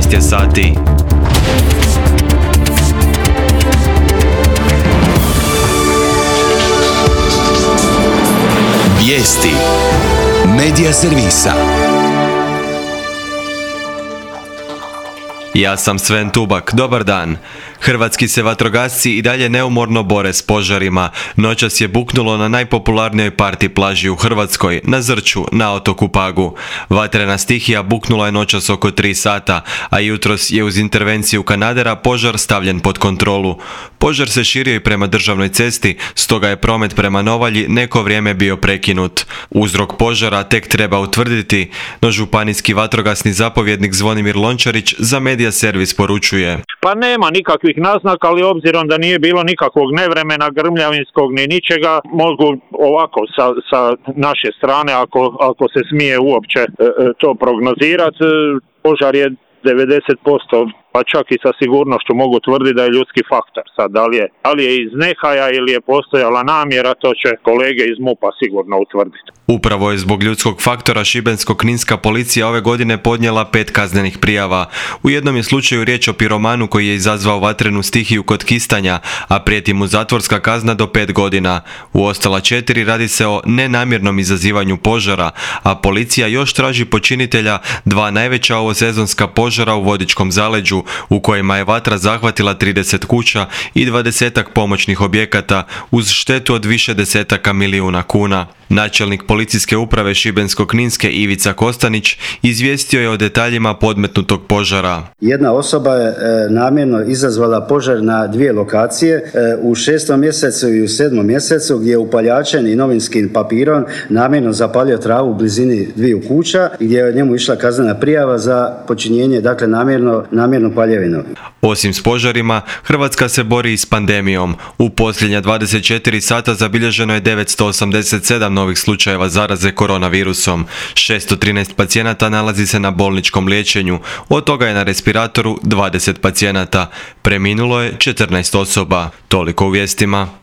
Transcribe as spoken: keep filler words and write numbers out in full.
četrnaest je sati. Vijesti Medija servisa. Ja sam Sven Tubak, dobar dan. Hrvatski se vatrogasci i dalje neumorno bore s požarima. Noćas je buknulo na najpopularnijoj party plaži u Hrvatskoj, na Zrću, na otoku Pagu. Vatrena stihija buknula je noćas oko tri sata, a jutros je uz intervenciju kanadera požar stavljen pod kontrolu. Požar se širio i prema državnoj cesti, stoga je promet prema Novalji neko vrijeme bio prekinut. Uzrok požara tek treba utvrditi, no županijski vatrogasni zapovjednik Zvonimir Lončarić za Medija servis poručuje. Pa nema nikakvih naznaka, ali obzirom da nije bilo nikakvog nevremena, grmljavinskog ni ničega, mogu ovako sa, sa naše strane, ako, ako se smije uopće e, to prognozirati, požar je devedeset posto, pa čak i sa sigurnošću mogu tvrditi da je ljudski faktor. Sad, da li je, da li je iz nehaja ili je postojala namjera, to će kolege iz MUP-a sigurno utvrditi. Upravo je zbog ljudskog faktora šibensko-kninska policija ove godine podnijela pet kaznenih prijava. U jednom je slučaju riječ o piromanu koji je izazvao vatrenu stihiju kod Kistanja, a prijeti mu zatvorska kazna do pet godina. U ostala četiri radi se o nenamjernom izazivanju požara, a policija još traži počinitelja dva najveća ovosezonska požara u Vodičkom zaleđu, u kojima je vatra zahvatila trideset kuća i dvadesetak pomoćnih objekata uz štetu od više desetaka milijuna kuna. Načelnik policijske uprave Šibensko-kninske Ivica Kostanić izvijestio je o detaljima podmetnutog požara. Jedna osoba je e, namjerno izazvala požar na dvije lokacije, e, u šestom mjesecu i u sedmom mjesecu, gdje je upaljačem i novinskim papirom namjerno zapalio travu u blizini dviju kuća, gdje je njemu išla kaznena prijava za počinjenje, dakle namjerno, namjerno paljevinu. Osim s požarima, Hrvatska se bori i s pandemijom. U posljednja dvadeset četiri sata zabilježeno je devetsto osamdeset sedam novih slučajeva zaraze koronavirusom. šesto trinaest pacijenata nalazi se na bolničkom liječenju, od toga je na respiratoru dvadeset pacijenata. Preminulo je četrnaest osoba. Toliko u vijestima.